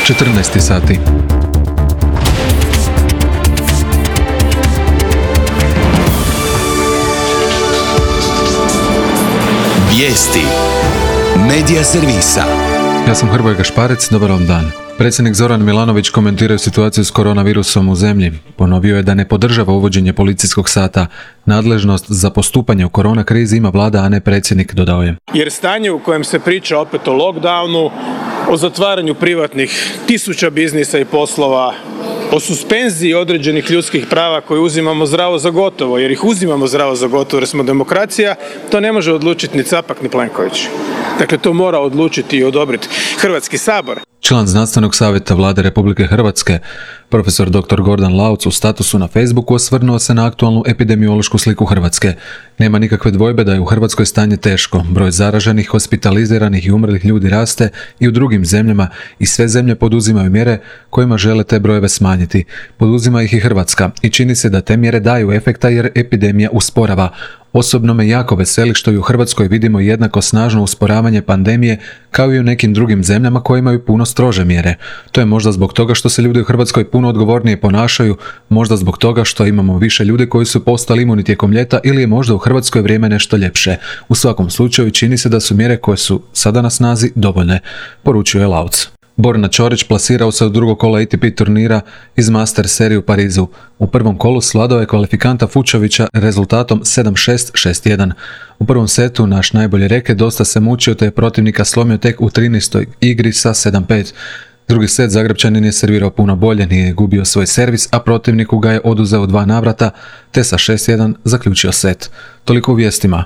14 sati. Vijesti Medija servisa. Ja sam Hrvoje Gašparec, dobar vam dan. Predsjednik Zoran Milanović komentirao situaciju s koronavirusom u zemlji. Ponovio je da ne podržava uvođenje policijskog sata. Nadležnost za postupanje u korona krizi ima vlada, a ne predsjednik, dodao je. Jer stanje u kojem se priča opet o lockdownu, o zatvaranju privatnih tisuća biznisa i poslova, o suspenziji određenih ljudskih prava koje uzimamo zdravo za gotovo, jer ih uzimamo zdravo za gotovo jer smo demokracija, to ne može odlučiti ni Capak ni Plenković. Dakle, to mora odlučiti i odobriti Hrvatski sabor. Član Znanstvenog savjeta Vlade Republike Hrvatske, profesor dr. Gordan Lauc, u statusu na Facebooku osvrnuo se na aktualnu epidemiološku sliku Hrvatske. Nema nikakve dvojbe da je u Hrvatskoj stanje teško. Broj zaraženih, hospitaliziranih i umrlih ljudi raste i u drugim zemljama i sve zemlje poduzimaju mjere kojima žele te brojeve smanjiti. Poduzima ih i Hrvatska i čini se da te mjere daju efekta jer epidemija usporava. Osobno me jako veseli što i u Hrvatskoj vidimo jednako snažno usporavanje pandemije kao i u nekim drugim zemljama koje imaju puno strože mjere. To je možda zbog toga što se ljudi u Hrvatskoj puno odgovornije ponašaju, možda zbog toga što imamo više ljudi koji su postali imuni tijekom ljeta ili je možda u Hrvatskoj vrijeme nešto ljepše. U svakom slučaju čini se da su mjere koje su sada na snazi dovoljne, poručio je Lauc. Borna Ćorić plasirao se u drugo kolo ATP turnira iz Master serije u Parizu. U prvom kolu svladao je kvalifikanta Fučovića rezultatom 7-6, 6-1. U prvom setu naš najbolji reket dosta se mučio te je protivnika slomio tek u 13. igri sa 7-5. Drugi set Zagrepčanin je servirao puno bolje, nije gubio svoj servis, a protivniku ga je oduzeo 2 navrata te sa 6-1 zaključio set. Toliko u vijestima.